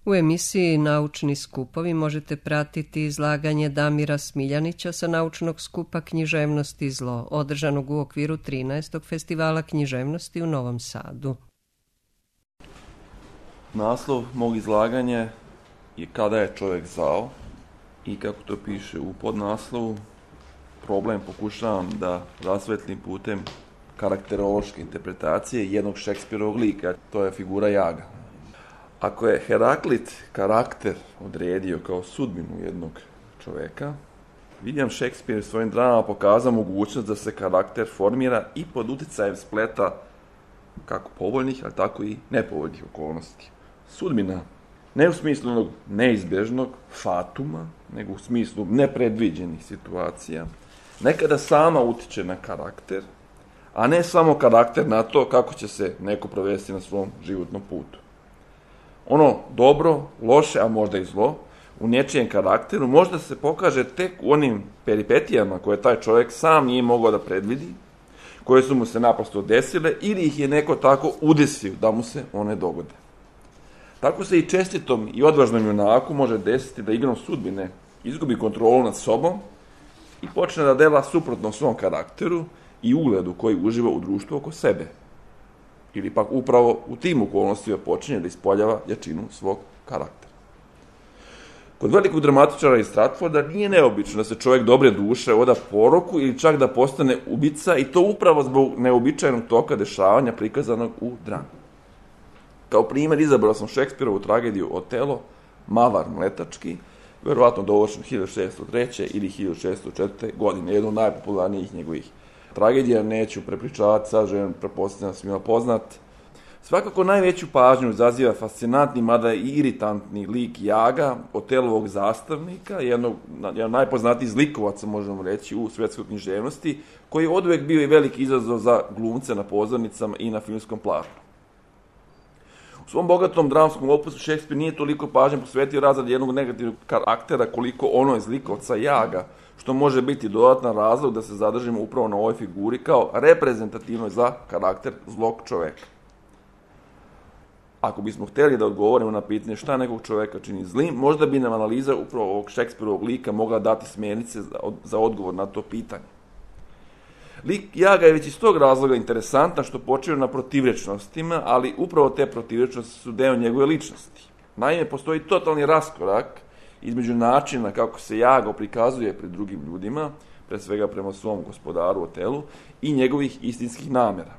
U emisiji Naučni skupovi možete pratiti izlaganje Damira Smiljanića sa naučnog skupa Književnost i zlo, održanog u okviru 13. festivala književnosti u Novom Sadu. Naslov mog izlaganja je Kada je čovjek zao i kako to piše u podnaslovu, problem pokušavam da rasvetlim putem karakterološke interpretacije jednog Šekspirovog lika, to je figura Jaga. Ako je Heraklit karakter odredio kao sudbinu jednog čoveka, William Shakespeare svojim dramama pokazao mogućnost da se karakter formira i pod uticajem spleta kako povoljnih, ali tako i nepovoljnih okolnosti. Sudbina, ne u smislu onog neizbežnog fatuma, nego u smislu nepredviđenih situacija, nekada sama utiče na karakter, a ne samo karakter na to kako će se neko provesti na svom životnom putu. Ono dobro, loše, a možda i zlo, u nečijem karakteru možda se pokaže tek u onim peripetijama koje taj čovjek sam nije mogao da predvidi, koje su mu se naprosto desile ili ih je neko tako udesio da mu se one dogode. Tako se i čestitom i odvažnom junaku može desiti da igrom sudbine izgubi kontrolu nad sobom i počne da dela suprotno svom karakteru i ugledu koji uživa u društvu oko sebe. Ili pak upravo u tim okolnostima počinje da ispoljava jačinu svog karaktera. Kod velikog dramatičara iz Stratforda nije neobično da se čovjek dobre duše oda poroku ili čak da postane ubica i to upravo zbog neobičajnog toka dešavanja prikazanog u drami. Kao primjer izabrao sam Šekspirovu tragediju Otelo, Mavar Mletački, verovatno dovršen 1603. ili 1604. godine, jedno od najpopularnijih njegovih tragedija, neću prepričavati, sadržajem pretpostavljam svima poznat. Svakako najveću pažnju izaziva fascinantni, mada i iritantni lik Jaga, Otelovog zastavnika, jedan najpoznatijih zlikovaca, možemo reći, u svetskoj književnosti, koji je oduvek bio i veliki izazov za glumce na pozornicama i na filmskom platnu. U svom bogatom dramskom opusu Šekspir nije toliko pažnje posvetio razradi jednog negativnog karaktera koliko ono iz likovca Jaga, što može biti dodatan razlog da se zadržimo upravo na ovoj figuri kao reprezentativnoj za karakter zlog čoveka. Ako bismo htjeli da odgovorimo na pitanje šta nekog čoveka čini zlim, možda bi nam analiza upravo ovog Šekspirovog lika mogla dati smjernice za odgovor na to pitanje. Lik Jaga je već iz tog razloga interesantan što počiva na protivrečnostima, ali upravo te protivrečnosti su deo njegove ličnosti. Naime, postoji totalni raskorak između načina kako se Jago prikazuje pred drugim ljudima, pre svega prema svom gospodaru Otelu, i njegovih istinskih namjera.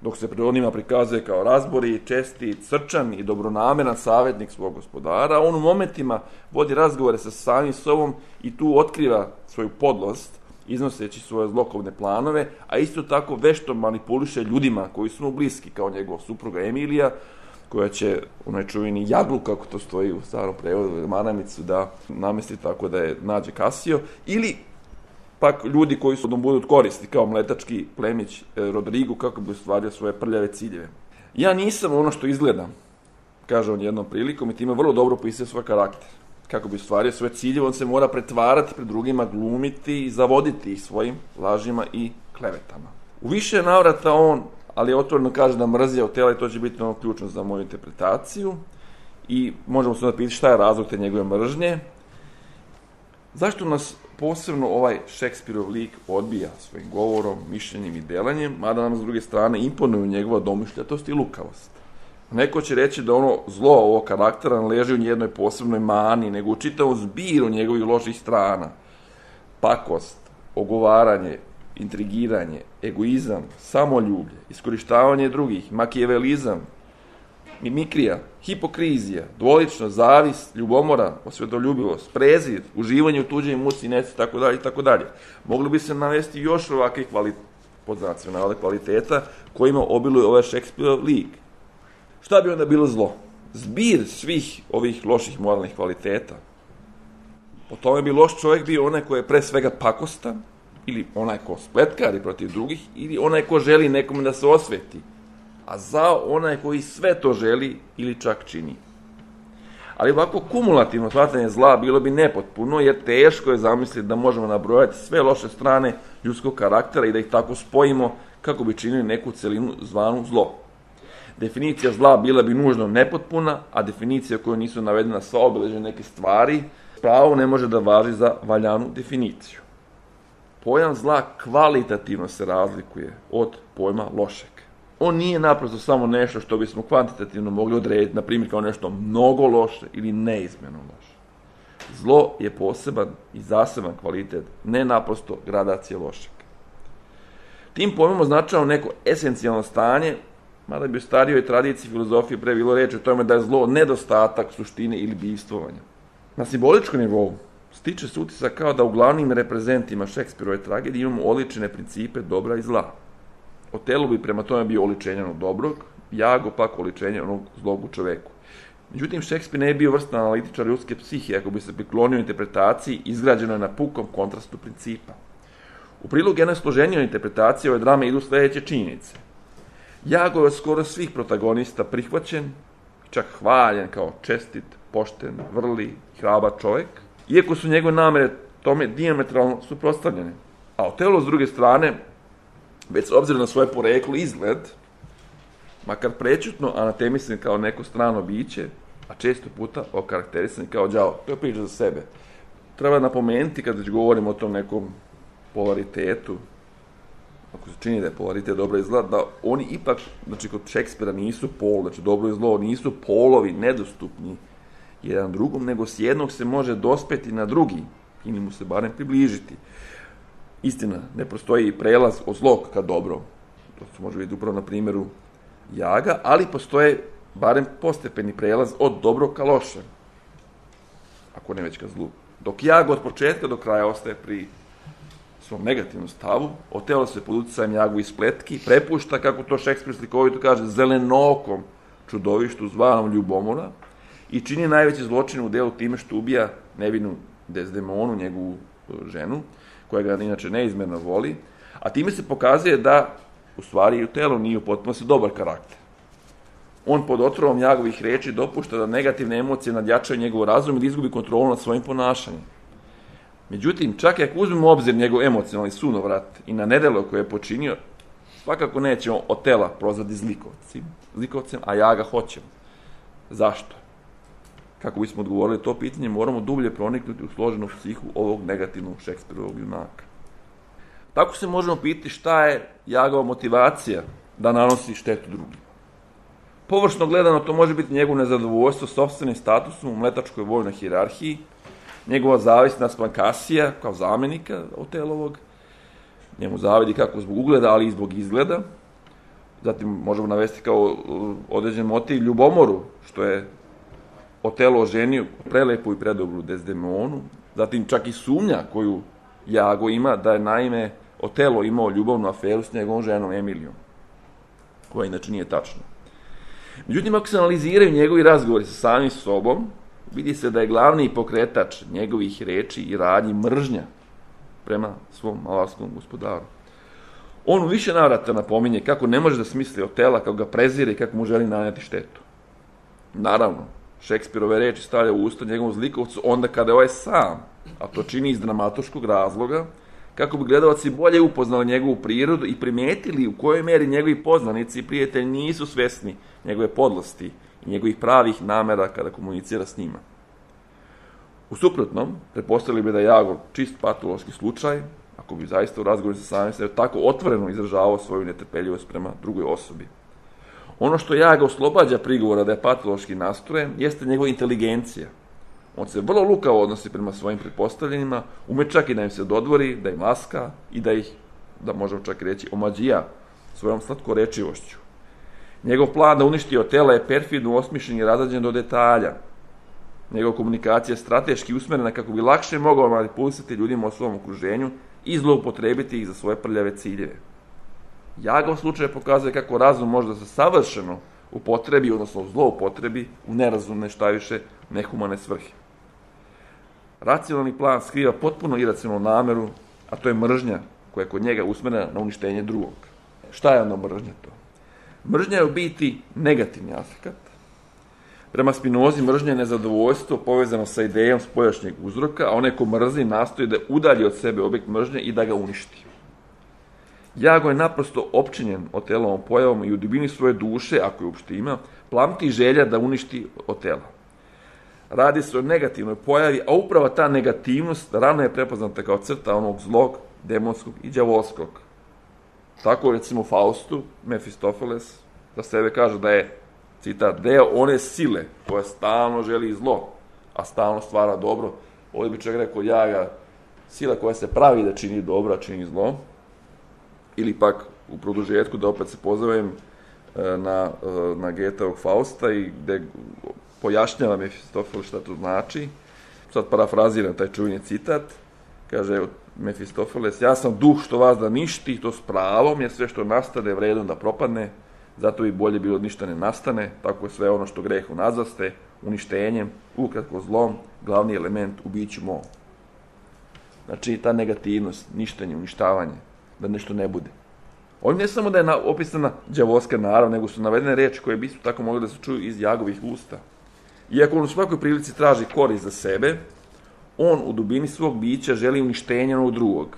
Dok se pred onima prikazuje kao razbori, česti, srčan i dobronameran savjetnik svog gospodara, on u momentima vodi razgovore sa samim sobom i tu otkriva svoju podlost, iznoseći svoje zlokovne planove, a isto tako vešto manipuliše ljudima koji su mu bliski, kao njegov supruga Emilija, koja će onaj čuveni jaglu, kako to stoji u starom prevodu, maramicu, da namesti tako da je nađe Kasio, ili pak ljudi koji su da budu od koristi, kao mletački plemić Rodrigo, kako bi ostvario svoje prljave ciljeve. Ja nisam ono što izgledam, kaže on jednom prilikom, i time vrlo dobro opisuje svoj karakter. Kako bi ostvario svoje ciljeve, on se mora pretvarati pred drugima, glumiti i zavoditi ih svojim lažima i klevetama. U više navrata on, ali otvoreno kaže da mrzi Otela i to će biti ono ključno za moju interpretaciju i možemo se onda pitati šta je razlog te njegove mržnje. Zašto nas posebno ovaj Šekspirov lik odbija svojim govorom, mišljenjem i delanjem, mada nam s druge strane imponuju njegova domišljatost i lukavost. Neko će reći da ono zlo ovog karaktera ne leži u jednoj posebnoj mani, nego u čitavom zbiru njegovih loših strana. Pakost, ogovaranje, intrigiranje, egoizam, samoljublje, iskorištavanje drugih, makijavelizam, mimikrija, hipokrizija, dvoličnost, zavist, ljubomora, osvetoljubivost, prezir, uživanje u tuđoj muci, neci, itd., itd. Mogli bi se navesti još ovakvih kvaliteta kojima obiluje ovaj Šekspirov lik. Šta bi onda bilo zlo? Zbir svih ovih loših moralnih kvaliteta. Po tome bi loš čovjek bio onaj koji je pre svega pakostan, ili onaj ko spletkari protiv drugih, ili onaj ko želi nekome da se osveti, a zao onaj koji sve to želi ili čak čini. Ali ovako kumulativno shvatanje zla bilo bi nepotpuno, jer teško je zamisliti da možemo nabrojati sve loše strane ljudskog karaktera i da ih tako spojimo kako bi činili neku celinu zvanu zlo. definicija zla bila bi nužno nepotpuna, a definicija u kojoj nisu navedena sva obilježja neke stvari, pravo ne može da važi za valjanu definiciju. Pojam zla kvalitativno se razlikuje od pojma lošeg. On nije naprosto samo nešto što bismo kvantitativno mogli odrediti, na primjer kao nešto mnogo loše ili neizmjerno loše. Zlo je poseban i zaseban kvalitet, ne naprosto gradacija lošeg. Tim pojmom označava neko esencijalno stanje, mada bi u starijoj tradiciji filozofije pre bilo reći o tome da je zlo nedostatak suštine ili bivstvovanja. Na simboličkom nivou stiče se utisak kao da u glavnim reprezentima Šekspirove tragedije imamo oličene principe dobra i zla. Otelo bi prema tome bio oličenje onog dobrog, Jago pak oličenje onog zlog u čoveku. Međutim, Šekspir ne je bio vrstan analitičar ljudske psihe ako bi se priklonio interpretaciji izgrađenoj na pukom kontrastu principa. U prilog jednoj složenijoj interpretaciji ove drame idu sljedeće činjenice. Jago je od skoro svih protagonista prihvaćen, čak hvaljen kao čestit, pošten, vrli, hrabar čovjek, iako su njegove namere tome dijametralno suprotstavljene. A Otelo, s druge strane, već s obzirom na svoje poreklo i izgled, makar prečutno anatemisan kao neko strano biće, a često puta okarakterisan kao đavo. To je priča za sebe. Treba napomenuti, kad već govorimo o tom nekom polaritetu, ako se čini da je polaritet dobro i zla, da oni ipak, znači kod Šekspira nisu pol, znači dobro i zlo, nisu polovi nedostupni jedan drugom, nego s jednog se može dospeti na drugi, ili mu se barem približiti. Istina, ne postoji prelaz od zlog ka dobro. To se može vidjeti upravo na primjeru Jaga, ali postoje barem postepeni prelaz od dobro ka loše. Ako ne već ka zlu. Dok Jago od početka do kraja ostaje pri svom negativnom stavu, Otelo se pod utjecajem Jagovih spletki prepušta, kako to Šekspir slikovito kaže, zelenokom čudovištu zvanom ljubomora i čini najveći zločin u delu time što ubija nevinu Desdemonu, njegovu ženu, koja ga inače neizmjerno voli, a time se pokazuje da u stvari i Otelo nije u potpunosti dobar karakter. On pod otrovom Jagovih riječi dopušta da negativne emocije nadjačaju njegov razum i da izgubi kontrolu nad svojim ponašanjem. Međutim, čak i ako uzmemo u obzir njegov emocionalni sunovrat i na nedelo koje je počinio, svakako nećemo Otela prozvati zlikovcem, a Jaga hoćemo. Zašto? Kako bismo odgovorili to pitanje, moramo dublje proniknuti u složenu psihu ovog negativnog Šekspirovog junaka. Tako se možemo pitati šta je Jagova motivacija da nanosi štetu drugima. Površno gledano, to može biti njegovo nezadovoljstvo sopstvenim statusom u mletačkoj vojnoj hijerarhiji, njegova zavist naspram Kasija kao zamjenika Otelovog, njemu zavidi kako zbog ugleda, ali i zbog izgleda. Zatim možemo navesti kao određen motiv ljubomoru, što je Otelo oženio prelepu i predobru Desdemonu, zatim čak i sumnja koju Jago ima da je naime Otelo imao ljubavnu aferu s njegovom ženom Emilijom, koja inače nije tačna. Međutim, ako se analiziraju njegovi razgovori sa samim sobom, vidi se da je glavni pokretač njegovih reči i radnji mržnja prema svom malarskom gospodaru. On u više navrata napominje kako ne može da smisli Otela, kako ga prezire i kako mu želi nanijeti štetu. Naravno, Šekspirove reči stavlja u usta njegovom zlikovcu onda kada je ovaj sam, a to čini iz dramatoškog razloga, kako bi gledalci bolje upoznali njegovu prirodu i primijetili u kojoj meri njegovi poznanici i prijatelji nisu svesni njegove podlosti i njegovih pravih namera kada komunicira s njima. U suprotnom, pretpostavili bi da je Jago čist patološki slučaj, ako bi zaista u razgovoru sa samim sebe tako otvoreno izražavao svoju netrpeljivost prema drugoj osobi. Ono što Jaga oslobađa prigovora da je patološki nastrojen jeste njegova inteligencija. On se vrlo lukavo odnosi prema svojim pretpostavljenima, ume čak i da im se dodvori, da im laska i da ih, da možemo čak reći, omađija svojom slatkorečivošću. Njegov plan da uništi Otela je perfidno osmišljen i razrađen do detalja. Njegova komunikacija je strateški usmjerena kako bi lakše mogao manipulisati ljudima u svom okruženju i zloupotrebiti ih za svoje prljave ciljeve. Jagov slučaj pokazuje kako razum može da se savršeno upotrebi, odnosno zloupotrebi u nerazumne, šta više, nehumane svrhe. Racionalni plan skriva potpuno iracionalnu nameru, a to je mržnja koja je kod njega usmjerena na uništenje drugog. Šta je onda mržnja to? Mržnja je u biti negativni aspekt. Prema Spinozi mržnja je nezadovoljstvo povezano sa idejom spoljašnjeg uzroka, a onaj ko mrzi nastoji da udalji od sebe objekt mržnje i da ga uništi. Jago je naprosto opčinjen Otelovom pojavom i u dubini svoje duše, ako je uopšte ima, plamti želja da uništi Otela. Radi se o negativnoj pojavi, a upravo ta negativnost rano je prepoznata kao crta onog zlog, demonskog i đavolskog. Tako, recimo, u Faustu, Mefistofeles za sebe kaže da je, citat, deo one sile koja stalno želi zlo, a stalno stvara dobro. Ovdje bi čovjek rekao Jaga, sila koja se pravi da čini dobro, a čini zlo. Ili pak u produžetku, da opet se pozovem na Goetheovog Fausta i gde pojašnjava Mefistofeles šta to znači. Sad parafraziram taj čuveni citat. Kaže Mefistofeles, ja sam duh što vas da ništi, to s pravom, jer sve što nastane vredno da propadne, zato bi bolje bilo ništa ne nastane, tako je sve ono što grehu nazvaste, uništenjem, ukratko zlom, glavni element u biću mom. Znači, ta negativnost, ništenje, uništavanje, da nešto ne bude. Ovdje ne samo da je opisana đavolska narav, nego su navedene reči koje bi tako mogli da se čuju iz Jagovih usta. Iako on u svakoj prilici traži korist za sebe, on u dubini svog bića želi uništenje onog drugog.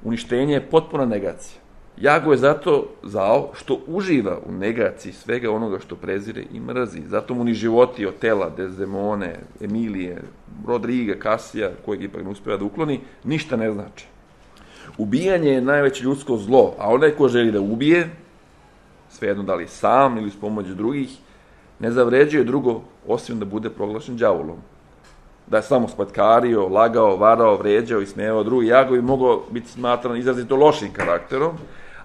Uništenje je potpuna negacija. Jago je zato zao što uživa u negaciji svega onoga što prezire i mrzi. Zato mu ni životi Otela, Desdemone, Emilije, Rodriga, Kasija, kojeg ipak ne uspeva da ukloni, ništa ne znači. Ubijanje je najveće ljudsko zlo, a onaj ko želi da ubije, svejedno da li sam ili s pomoć drugih, ne zavređuje drugo osim da bude proglašen đavolom. Da je samo spatkario, lagao, varao, vređao i smijevao drugi. Jago bi mogao biti smatran izrazito lošim karakterom,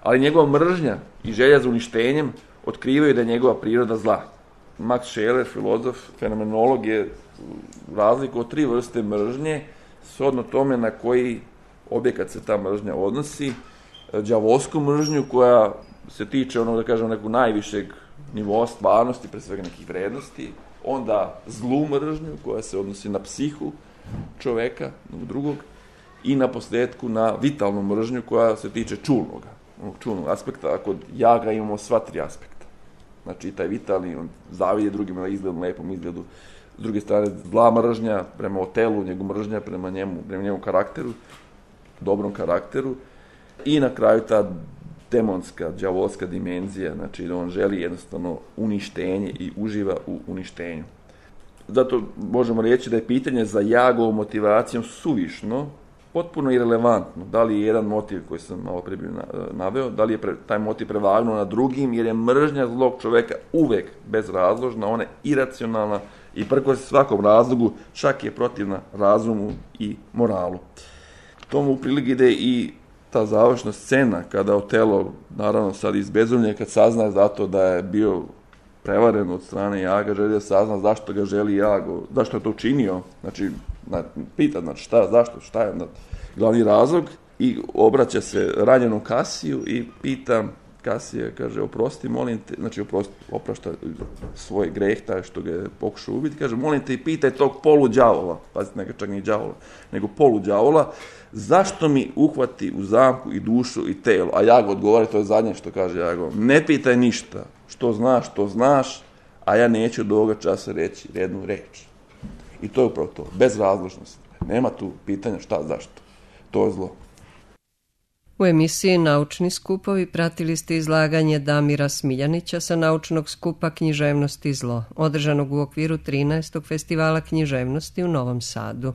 ali njegova mržnja i želja za uništenjem otkrivaju da je njegova priroda zla. Max Scheler, filozof, fenomenolog, je razliku od 3 vrste mržnje, shodno tome na koji objekat se ta mržnja odnosi. Đavolsku mržnju koja se tiče onog, da kažem, nekog najvišeg nivoa stvarnosti, pre svega nekih vrednosti, onda zlu mržnju koja se odnosi na psihu čoveka, drugog, i na posljedku na vitalnu mržnju koja se tiče čulnog aspekta, a kod Jaga imamo sva 3 aspekta. Znači, taj vitalni, on zavide drugima na izgledu, lepom izgledu, s druge strane, zla mržnja prema Otelu, njegov mržnja prema njemu karakteru, dobrom karakteru, i na kraju ta demonska, đavolska dimenzija, znači da on želi jednostavno uništenje i uživa u uništenju. Zato možemo reći da je pitanje za Jagovom motivacijom suvišno, potpuno irelevantno. Da li je jedan motiv koji sam malo prije naveo, da li je taj motiv prevagnuo na drugim, jer je mržnja zlog čoveka uvek bezrazložna, ona je iracionalna i prkos svakom razlogu, čak je protivna razumu i moralu. Tomu u prilog ide i ta završna scena kada Otelo, naravno sad izbezumlje, kad sazna zato da je bio prevaren od strane Jaga, želi da sazna zašto ga želi Jago, zašto je to učinio, znači pita, znači šta je glavni razlog, i obraća se ranjenom Kasiju i pita Kasija, kaže, oprosti, molim te, znači oprašta svoj greh, taj što ga je pokušao ubiti, kaže, molim te i pitaj tog poluđavola, pazite, neka čak nije đavola, nego poluđavola, zašto mi uhvati u zamku i dušu i telo? A Jago odgovara, to je zadnje što kaže Jago, ne pitaj ništa, što znaš, a ja neću do ovoga časa reći jednu reč. I to je upravo to, bez razložnosti. Nema tu pitanja šta, zašto. To je zlo. U emisiji Naučni skupovi pratili ste izlaganje Damira Smiljanića sa naučnog skupa Književnost i zlo, održanog u okviru 13. festivala književnosti u Novom Sadu.